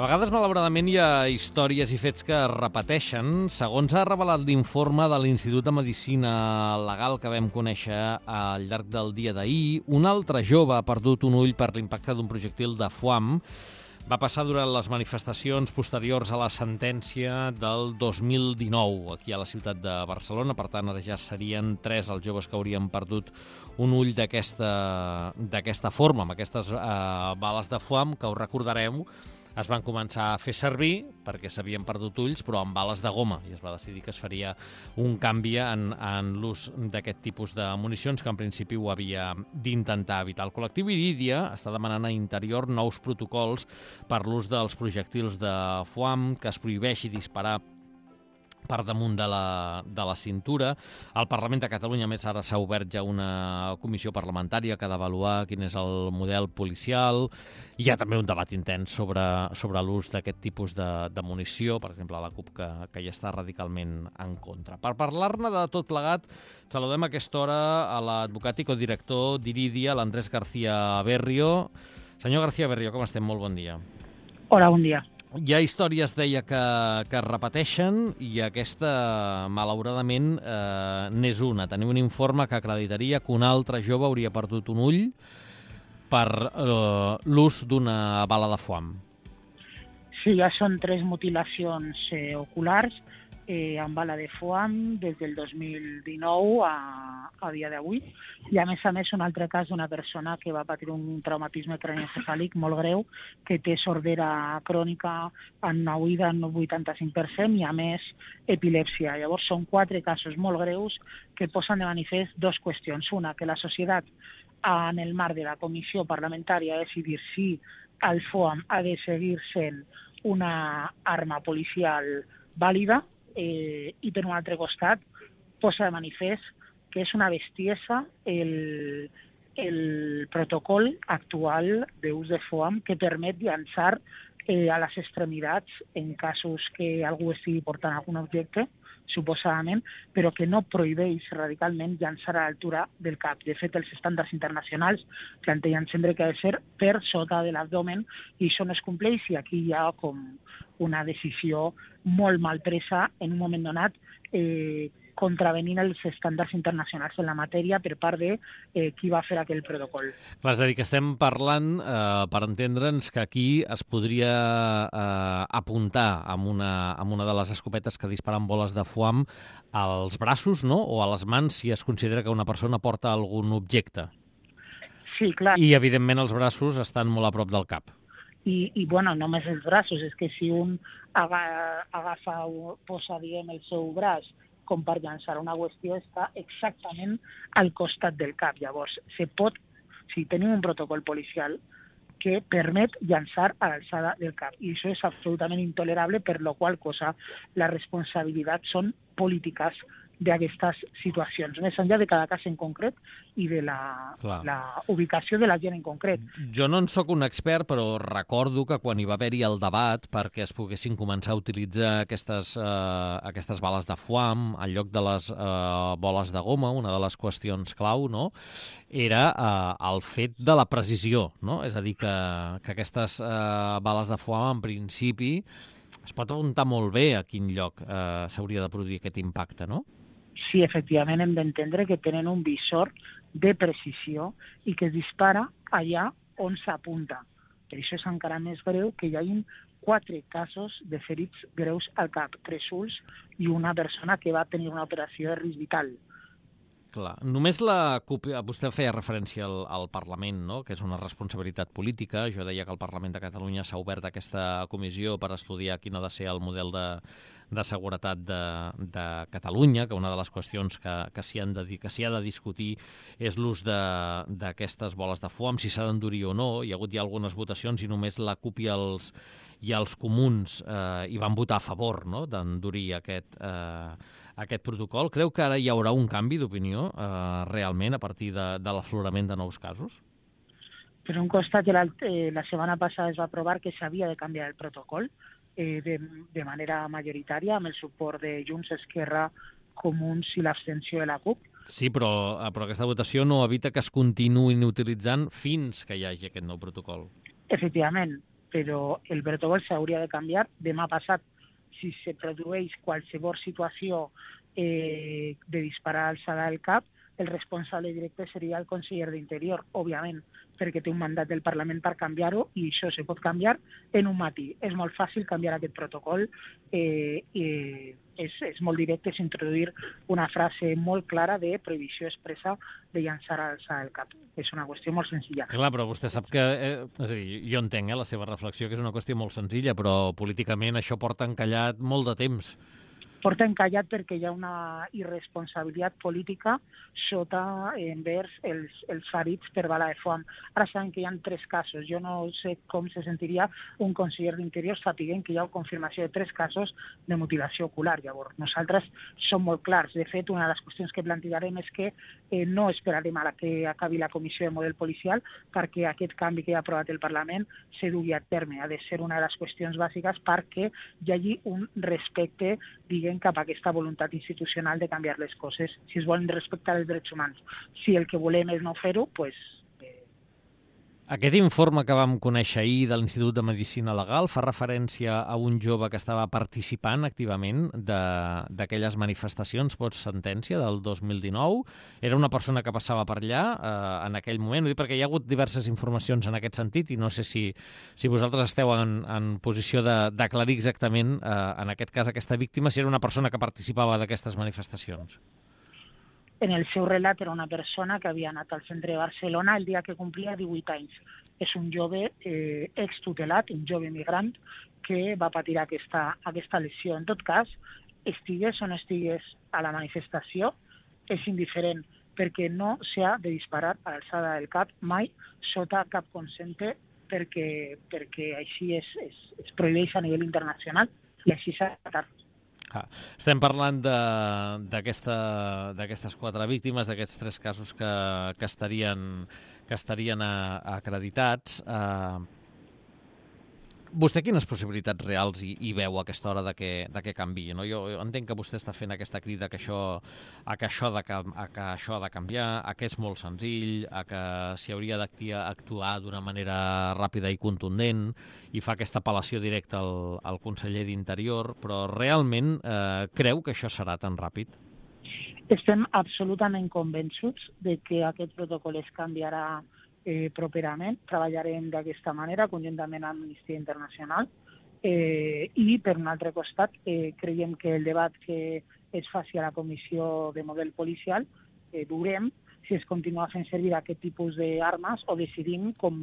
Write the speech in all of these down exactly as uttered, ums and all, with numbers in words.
A vegades, malauradament, hi ha històries i fets que es repeteixen. Segons ha revelat l'informe de l'Institut de Medicina Legal que vam conèixer al llarg del dia d'ahir, un altre jove ha perdut un ull per l'impacte d'un projectil de foam. Va passar durant les manifestacions posteriors a la sentència del dos mil dinou, aquí a la ciutat de Barcelona. Per tant, ara ja serien tres els joves que haurien perdut un ull d'aquesta d'aquesta forma, amb aquestes eh, bales de foam, que us recordareu, es van començar a fer servir perquè s'havien perdut ulls, però amb bales de goma, i es va decidir que es faria un canvi en, en l'ús d'aquest tipus de municions, que en principi ho havia d'intentar evitar. El col·lectiu Irídia està demanant a Interior nous protocols per l'ús dels projectils de foam, que es prohibeixi disparar per damunt de la, de la cintura. Al Parlament de Catalunya, més, ara s'ha obert ja una comissió parlamentària que ha d'avaluar quin és el model policial. Hi ha també un debat intens sobre, sobre l'ús d'aquest tipus de, de munició, per exemple, a la CUP, que, que hi està radicalment en contra. Per parlar-ne de tot plegat, saludem a aquesta hora a l'advocat i codirector d'Irídia, l'Andrés García Berrio. Senyor García Berrio, com estem? Molt bon dia. Hola, bon dia. Hi ha històries, deia, que, que es repeteixen, i aquesta, malauradament, eh, n'és una. Tenim un informe que acreditaria que un altre jove hauria perdut un ull per eh, l'ús d'una bala de foam. Sí, ja són tres mutilacions eh, oculars eh, amb bala de foam des del dos mil dinou a, a dia d'avui. I a més a més un altre cas d'una persona que va patir un traumatisme cranioencefàlic molt greu, que té sordera crònica en una oïda en un vuitanta-cinc per cent i a més epilèpsia. Llavors són quatre casos molt greus que posen de manifest dues qüestions. Una, que la societat en el marc de la comissió parlamentària ha decidit si el foam ha de seguir sent una arma policial vàlida, eh, i per un altre costat posa de manifest que és una bestiesa el, el protocol actual d'ús de foam, que permet llançar eh, a les extremitats en casos que algú estigui portant algun objecte, suposadament, però que no prohibeix radicalment llançar a l'altura del cap. De fet, els estàndards internacionals plantegen sempre que ha de ser per sota de l'abdomen, i això no es compleix, i aquí hi ha com una decisió molt mal presa en un moment donat, eh, contravenint els estàndards internacionals en la matèria per part de eh, qui va fer aquell protocol. Clar, és a dir, que estem parlant, eh, per entendre'ns, que aquí es podria eh, apuntar amb una, amb una de les escopetes que disparen boles de foam als braços, no?, o a les mans, si es considera que una persona porta algun objecte. Sí, clar. I, evidentment, els braços estan molt a prop del cap. I, i bueno, només els braços, és que si un aga, agafa, posa, diguem, el seu braç com per llançar una qüestió, està exactament al costat del cap. Llavors, se pot, si tenim un protocol policial que permet llançar a l'alçada del cap, i això és absolutament intolerable, per la qual cosa la responsabilitat són polítiques d'aquestes situacions, més enllà de cada cas en concret i de la, la ubicació de la gent en concret. Jo no en sóc un expert, però recordo que quan hi va haver-hi el debat perquè es poguessin començar a utilitzar aquestes, eh, aquestes bales de foam en lloc de les eh, boles de goma, una de les qüestions clau, no?, era eh, el fet de la precisió, no? És a dir, que, que aquestes eh, bales de foam, en principi, es pot apuntar molt bé a quin lloc eh, s'hauria de produir aquest impacte, no? Sí, efectivament, hem d'entendre que tenen un visor de precisió i que es dispara allà on s'apunta. Per això és encara més greu que hi hagi quatre casos de ferits greus al cap, tres ulls i una persona que va tenir una operació de risc vital. Clar, només la CUP, vostè feia referència al, al Parlament, no?, que és una responsabilitat política. Jo deia que el Parlament de Catalunya s'ha obert aquesta comissió per estudiar quin ha de ser el model de, de seguretat de, de Catalunya, que una de les qüestions que, que s'hi han de, que s'hi ha de discutir és l'ús d'aquestes boles de foam, si s'ha d'endurir o no. Hi ha hagut ja algunes votacions i només la CUP i els, i els comuns eh, hi van votar a favor, no?, d'endurir aquest, eh, aquest protocol. Creu que ara hi haurà un canvi d'opinió eh, realment a partir de, de l'aflorament de nous casos? Per un costat, la, eh, la setmana passada es va aprovar que s'havia de canviar el protocol eh, de, de manera majoritària, amb el suport de Junts, Esquerra, Comuns i l'abstenció de la CUP. Sí, però, però aquesta votació no evita que es continuïn utilitzant fins que hi hagi aquest nou protocol. Efectivament, però el protocol s'hauria de canviar demà passat. Si se produeix qualsevol situació eh, de disparar alçada del cap, el responsable directe seria el conseller d'Interior, òbviament, perquè té un mandat del Parlament per canviar-ho i això se pot canviar en un matí. És molt fàcil canviar aquest protocol, eh, eh, és, és molt directe, és introduir una frase molt clara de prohibició expressa de llançar a alçada del cap. És una qüestió molt senzilla. Clar, però vostè sap que... Eh, és a dir, jo entenc eh, la seva reflexió, que és una qüestió molt senzilla, però políticament això porta encallat molt de temps. Porta encallat perquè hi ha una irresponsabilitat política sota envers els, els ferits per bala de foam. Ara sabem que hi ha tres casos. Jo no sé com se sentiria un conseller d'Interior sapiguent que hi ha confirmació de tres casos de mutilació ocular. Llavors, nosaltres som molt clars. De fet, una de les qüestions que plantejarem és que eh, no esperarem a la que acabi la comissió de model policial perquè aquest canvi que ha aprovat el Parlament se dugui a terme. Ha de ser una de les qüestions bàsiques perquè hi hagi un respecte, diguem, cap a aquesta voluntat institucional de canviar les coses, si es volen respectar els drets humans. Si el que volem és no fer-ho, doncs... Eh... Aquest informe que vam conèixer ahir de l'Institut de Medicina Legal fa referència a un jove que estava participant activament d'aquelles manifestacions post-sentència del dos mil dinou. Era una persona que passava per allà eh, en aquell moment, ho dic perquè hi ha hagut diverses informacions en aquest sentit i no sé si, si vosaltres esteu en, en posició d'aclarir exactament, eh, en aquest cas, aquesta víctima, si era una persona que participava d'aquestes manifestacions. En el seu relat era una persona que havia anat al centre de Barcelona el dia que complia divuit anys. És un jove eh, extutelat, un jove migrant, que va patir aquesta, aquesta lesió. En tot cas, estigués o no estigués a la manifestació, és indiferent, perquè no s'ha de disparar a l'alçada del cap mai sota cap consente, perquè, perquè així es, es, es prohibeix a nivell internacional i així s'ha de tratar. Ah, estem parlant d'aquestes quatre víctimes, d'aquests tres casos que, que estarien, que estarien a, a acreditats. Uh, vostè quines possibilitats reals hi, hi veu a aquesta hora de que, de que canviï? No? Jo, jo entenc que vostè està fent aquesta crida que això, a, que això de, a que això ha de canviar, a que és molt senzill, a que s'hi hauria d'actuar d'una manera ràpida i contundent i fa aquesta apel·lació directa al, al conseller d'Interior, però realment eh, creu que això serà tan ràpid? Estem absolutament convençuts de que aquest protocol es canviarà Eh, properament. Treballarem d'aquesta manera conjuntament amb Amnistia Internacional eh, i, per un altre costat, eh, creiem que el debat que es faci a la comissió de model policial eh, veurem si es continua fent servir aquest tipus d'armes o decidim com,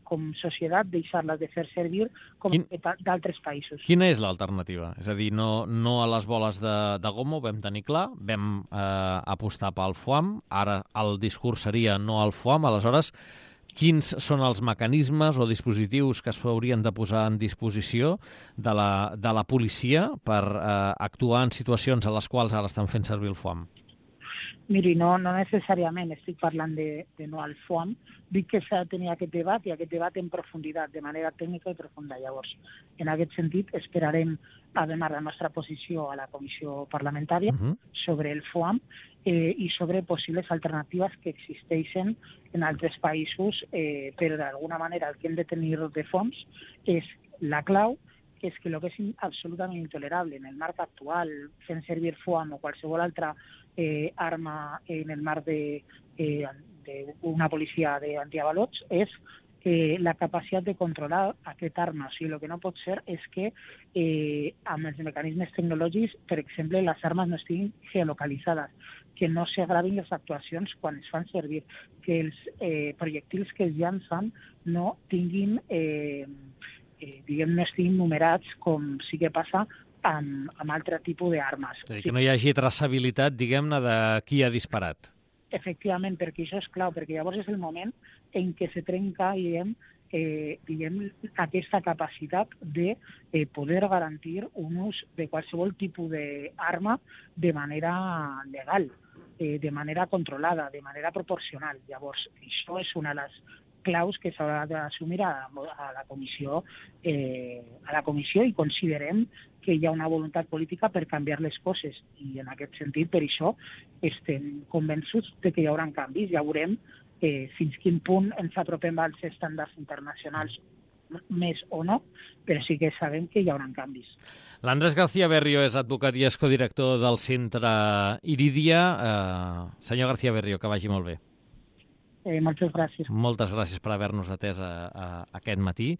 com societat deixar-les de fer servir com Quin... d'altres països. Quina és l'alternativa? És a dir, no, no a les boles de, de goma, ho vam tenir clar, vam eh, apostar pel foam, ara el discurs seria no al foam, aleshores quins són els mecanismes o dispositius que es haurien de posar en disposició de la, de la policia per eh, actuar en situacions a les quals ara estan fent servir el foam? Miri, no, no necessàriament estic parlant de, de no al foam, dic que s'ha de tenir aquest debat i aquest debat en profunditat, de manera tècnica i profunda. Llavors, en aquest sentit, esperarem a donar la nostra posició a la comissió parlamentària uh-huh. sobre el foam eh, i sobre possibles alternatives que existeixen en altres països, eh, però d'alguna manera el que hem de tenir de fons és la clau, és que el que és absolutament intolerable en el marc actual, fent servir foam o qualsevol altra eh, arma en el marc d'una eh, policia d'antiavalots, és eh, la capacitat de controlar aquesta arma. O sigui, el que no pot ser és que eh, amb els mecanismes tecnològics, per exemple, les armes no estiguin geolocalitzades, que no s'agravin les actuacions quan es fan servir, que els eh, projectils que es llancen no tinguin... Eh, Eh, diguem, no estiguin numerats com sí que passa amb, amb altre tipus d'armes. És a dir, que no hi hagi traçabilitat, diguem-ne, de qui ha disparat. Efectivament, perquè això és clau, perquè llavors és el moment en què se trenca, diguem, eh, diguem aquesta capacitat de eh, poder garantir un ús de qualsevol tipus d'arma de manera legal, eh, de manera controlada, de manera proporcional. Llavors, això és una de les claus que s'haurà d'assumir a, a la comissió eh, a la comissió i considerem que hi ha una voluntat política per canviar les coses i en aquest sentit per això estem convençuts de que hi haurà canvis. Ja veurem eh, fins quin punt ens apropem als estàndards internacionals. més o no, però sí que sabem que hi haurà canvis. L'Andrés García Berrio és advocat i és codirector del Centre Irídia. Eh, senyor García Berrio, que vagi molt bé. Eh, moltes gràcies. Moltes gràcies per haver-nos atès a, a, a aquest matí.